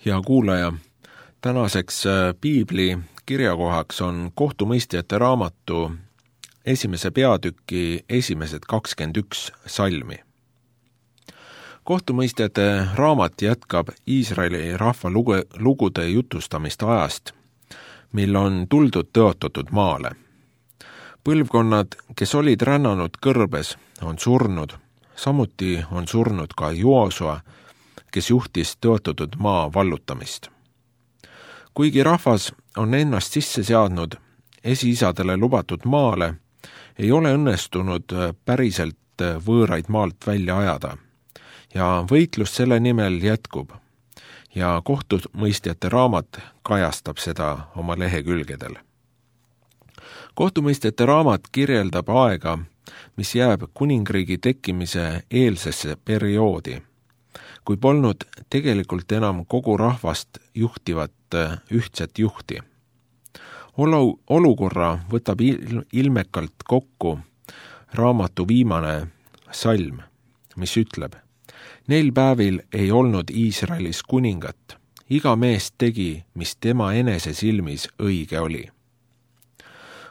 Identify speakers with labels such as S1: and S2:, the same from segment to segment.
S1: Hea kuulaja, tänaseks piibli kirjakohaks on kohtumõistjate raamatu esimese peatüki esimesed 21 salmi. Kohtumõistjate raamat jätkab Iisraeli rahva lugude jutustamist ajast, mil on tuldud tõotatud maale. Põlvkonnad, kes olid rännanud kõrbes, on surnud, samuti on surnud ka Joosua, kes juhtis tõotatud maa vallutamist. Kuigi rahvas on ennast sisse seadnud esiisadele lubatud maale, ei ole õnnestunud päriselt võõraid maalt välja ajada ja võitlus selle nimel jätkub ja kohtumõistjate raamat kajastab seda oma lehekülgedel. Kohtumõistjate raamat kirjeldab aega, mis jääb kuningriigi tekkimise eelsesse perioodi, kui polnud tegelikult enam kogu rahvast juhtivat ühtset juhti. Olukorra võtab ilmekalt kokku raamatu viimane salm, mis ütleb: Neil päevil ei olnud Iisraelis kuningat, iga mees tegi, mis tema enese silmis õige oli.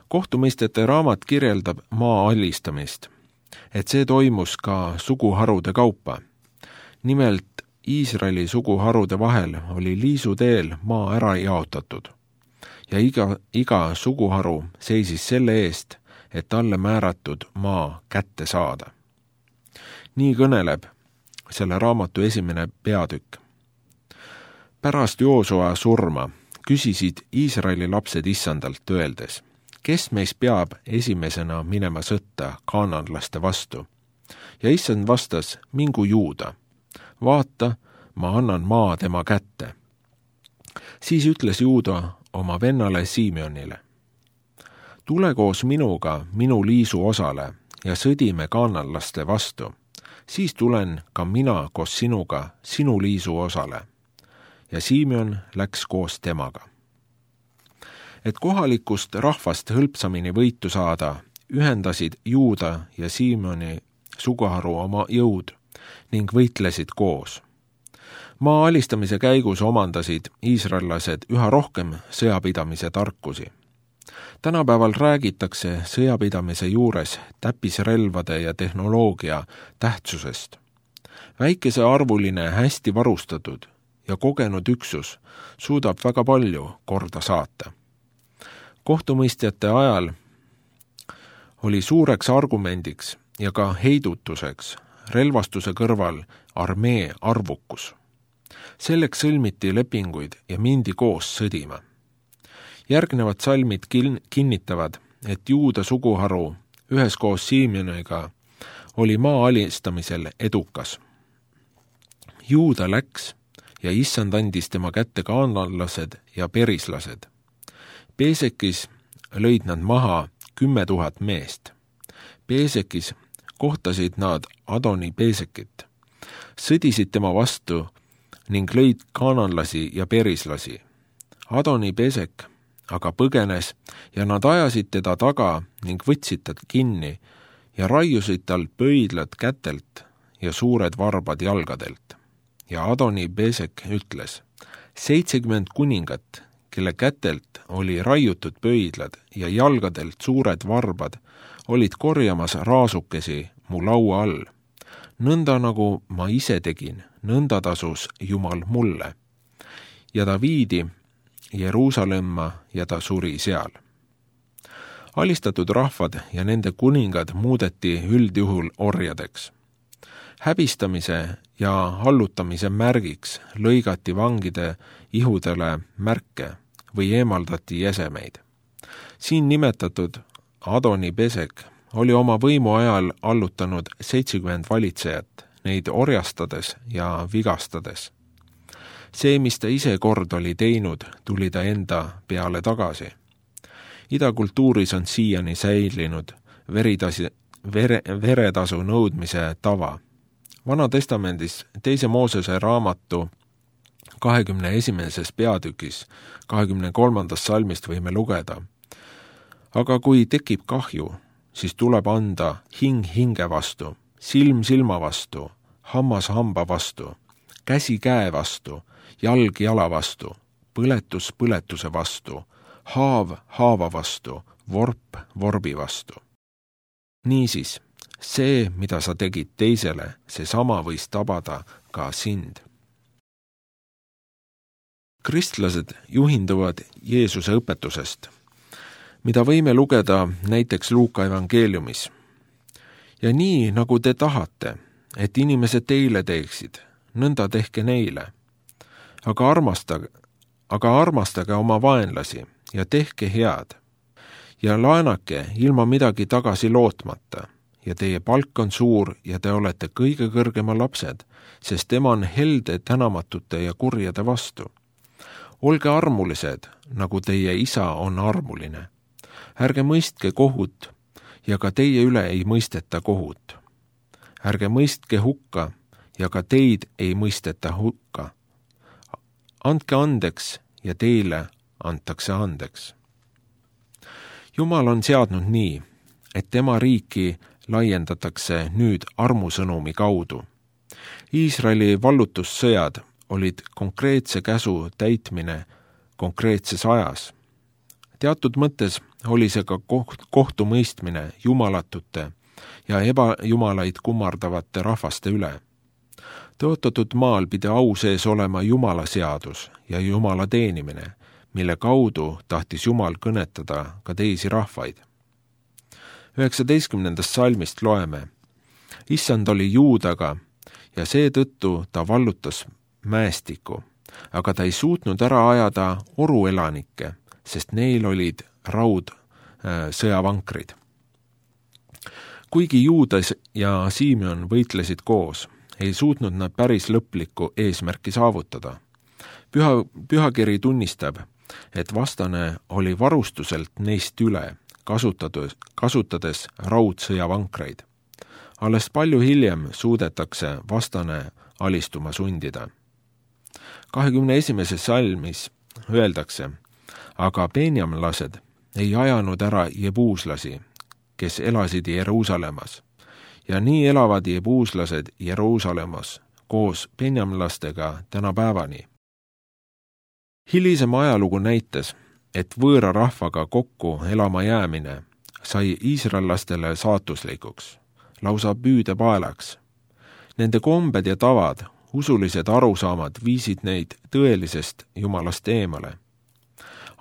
S1: Kohtumõistjate raamat kirjeldab maa alistamist, et see toimus ka suguharude kaupa. Nimelt Iisraeli suguharude vahel oli liisuteel maa ära jaotatud ja iga suguharu seisis selle eest, et talle määratud maa kätte saada. Nii kõneleb selle raamatu esimene peatükk. Pärast Joosua surma küsisid Iisraeli lapsed issandalt öeldes: kes meist peab esimesena minema sõtta kaananlaste vastu? Ja issand vastas: mingu Juuda. Vaata, ma annan maa tema kätte. Siis ütles Juuda oma vennale Siimionile: tule koos minuga minu liisu osale ja sõdime kaananlaste vastu. Siis tulen ka mina koos sinuga sinu liisu osale. Ja Siimion läks koos temaga. Et kohalikust rahvast hõlpsamini võitu saada, ühendasid Juuda ja Siimioni suguharu oma jõud ning võitlesid koos. Maa alistamise käigus omandasid iisraellased üha rohkem sõjapidamise tarkusi. Tänapäeval räägitakse sõjapidamise juures täppisrelvade ja tehnoloogia tähtsusest. Väikesearvuline, hästi varustatud ja kogenud üksus suudab väga palju korda saata. Kohtumõistjate ajal oli suureks argumendiks ja ka heidutuseks relvastuse kõrval armee arvukus. Selleks sõlmiti lepinguid ja mindi koos sõdima. Järgnevad salmid kinnitavad, et Juuda suguharu üheskoos Siimioniga oli maa alistamisel edukas. Juuda läks ja issand andis tema kätte kaananlased ja perislased. Peesekis lõid nad maha 10 000 meest. Peesekis kohtasid nad Adoni Peesekit, sõdisid tema vastu ning lõid kaananlasi ja perislasi. Adoni Peesek aga põgenes ja nad ajasid teda taga ning võtsid tad kinni ja raiusid talt pöidlad kätelt ja suured varbad jalgadelt. Ja Adoni Peesek ütles: 70 kuningat, kelle kätelt oli raiutud pöidlad ja jalgadelt suured varbad, olid korjamas raasukesi mu laua all. Nõnda nagu ma ise tegin, nõnda tasus Jumal mulle. Ja ta viidi Jeruusalemma ja ta suri seal. Alistatud rahvad ja nende kuningad muudeti üldjuhul orjadeks. Häbistamise ja hallutamise märgiks lõigati vangide ihudele märke või eemaldati jäsemeid. Siin nimetatud Adoni Peesek oli oma võimu ajal allutanud 70 valitsejat, neid orjastades ja vigastades. See, mis ta ise kord oli teinud, tuli ta enda peale tagasi. Idakultuuris on siiani säilinud veretasu nõudmise tava. Vanatestamendis 2. Moosese raamatu 21. peatükis 23. salmist võime lugeda: aga kui tekib kahju, siis tuleb anda hing hinge vastu, silm silma vastu, hammas hamba vastu, käsi käe vastu jalg jala vastu, põletus põletuse vastu, haav haava vastu, vorp vorbi vastu. Niisiis, see, mida sa tegid teisele, seesama võis tabada ka sind. Kristlased juhinduvad Jeesuse õpetusest, mida võime lugeda näiteks Luuka evangeeliumis. Ja nii, nagu te tahate, et inimesed teile teeksid, nõnda tehke neile. Aga armastage oma vaenlasi ja tehke head. Ja laenake ilma midagi tagasi lootmata. Ja teie palk on suur ja te olete kõige kõrgema lapsed, sest tema on helde tänamatute ja kurjade vastu. Olge armulised, nagu teie isa on armuline. Ärge mõistke kohut ja ka teie üle ei mõisteta kohut. Ärge mõistke hukka ja ka teid ei mõisteta hukka. Andke andeks ja teile antakse andeks. Jumal on seadnud nii, et tema riiki laiendatakse nüüd armusõnumi kaudu. Iisraeli vallutussõjad olid konkreetse käsu täitmine konkreetses ajas. Teatud mõttes oli see ka kohtumõistmine jumalatute ja ebajumalaid kummardavate rahvaste üle. Tõotatud maal pidi au sees olema Jumala seadus ja Jumala teenimine, mille kaudu tahtis Jumal kõnetada ka teisi rahvaid. 19. salmist loeme, Issand oli Juudaga ja seetõttu ta vallutas mäestiku, aga ta ei suutnud ära ajada oruelanikke, sest neil olid sõjavankrid. Kuigi Juudas ja Simeon võitlesid koos, ei suutnud nad päris lõplikku eesmärki saavutada. Pühakiri tunnistab, et vastane oli varustuselt neist üle, kasutades raudsõjavankreid. Alles palju hiljem suudetakse vastane alistuma sundida. 21. salmis öeldakse, aga benjamlased ei ajanud ära jebuuslasi, kes elasid Jeruusalemmas. Ja nii elavad jebuuslased Jeruusalemmas koos benjamlastega tänapäevani. Hilisem ajalugu näitas, et võõra rahvaga kokku elama jäämine sai iisraellastele saatuslikuks, lausa püüdepaelaks. Nende kombed ja tavad, usulised arusaamad viisid neid tõelisest Jumalast eemale.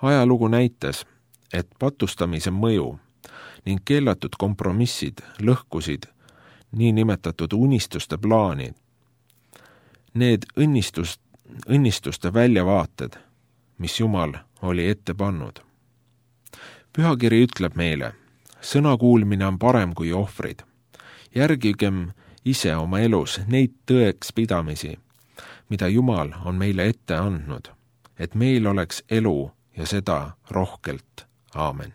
S1: Ajalugu näitas, et patustamise mõju ning keelatud kompromissid lõhkusid niinimetatud unistuste plaanid. Need õnnistuste väljavaated, mis Jumal oli ette pannud. Pühakiri ütleb meile, sõna kuulmine on parem kui ohvrid. Järgigem ise oma elus neid tõeks pidamisi, mida Jumal on meile ette andnud, et meil oleks elu ja seda rohkelt. Aamen.